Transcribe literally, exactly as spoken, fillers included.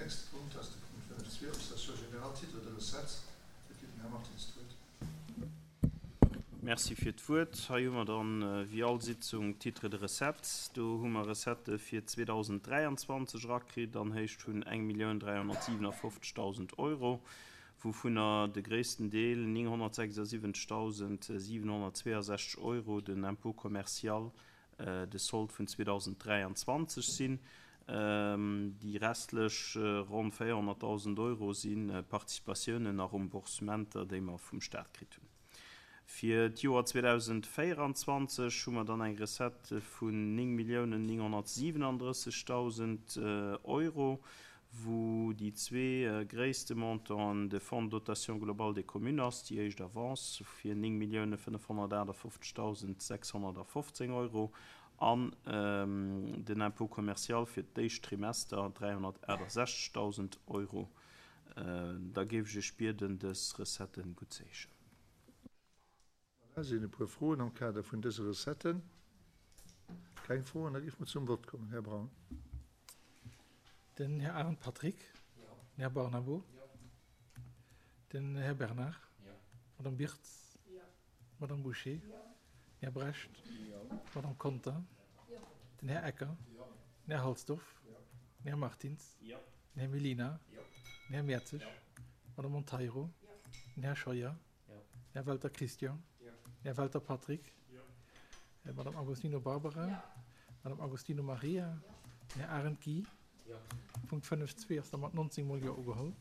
nächste Punkt ass de Punkt fënnef zwee, Observation générale, Titres de recettes. Do kritt den Här Martins d'Wuert. Merci fir d'Wuert. Hei hu mer dann, wéi all Sitzung, d'Titres de recettes. Do hu mer Recettë fir zweedausenddräianzwanzeg erakritt an Héicht vun eng Millioun dräihonnertsiwenafoffzegdausend Euro, wouvunner de gréissten Deel, nénghonnertsechsasiwwenzegdausendsiwenhonnertzweeasechzeg Euro, den Impôt commercial de Solde vun zweedausenddräianzwanzeg sinn. Déi restlech ronn véierhonnertdausend Euro si Participatiounen a Remboursementer, déi mer vum Staat kritt hunn. Fir d'Joer zweedausenddvéieranzwanzeg hu mer dann eng Recette vun néng Milliounen nénghonnertsiwenandrëssegdausend Euro, wou déi zwee gréisste Montanten de Fonds de dotation globale des communes ass, déi éischt Avance fir néng Milliounen fënnefhonnertaachtafoffzegdausend sechshonnertafofzéng Euro, an den Impôt commercial fir d'éischt Trimester dräihonnertaachtasechzegdausend Euro. Da géif ech Iech bieden, dës Recetten guttzeheeschen. Voilà, sinn e puer Froen am Kader vun dëse Recetten? Keng Froen? Da géife mer zum Vott kommen. Här Braun. Den Här Arendt Patrick. Den Här Barnabo. Den Här Bernard. D'Madame Birtz. D'Madame Bouché. Den Här Brecht. D'Madame Conter. Den Här Ecker. Den Här Halsdorf. Den Här Martins. Den Här Mellina. Den Här Mertzig. D'Madame Monteiro. Den Här Scheuer. Den Här Welter Christian. Den Här Welter Patrick. D'Madame Agostino Barbara. D'Madame Agostino Maria. Den Här Arendt Guy. Punkt fënnef zwee ass da mat nonzéng mol Jo ugeholl.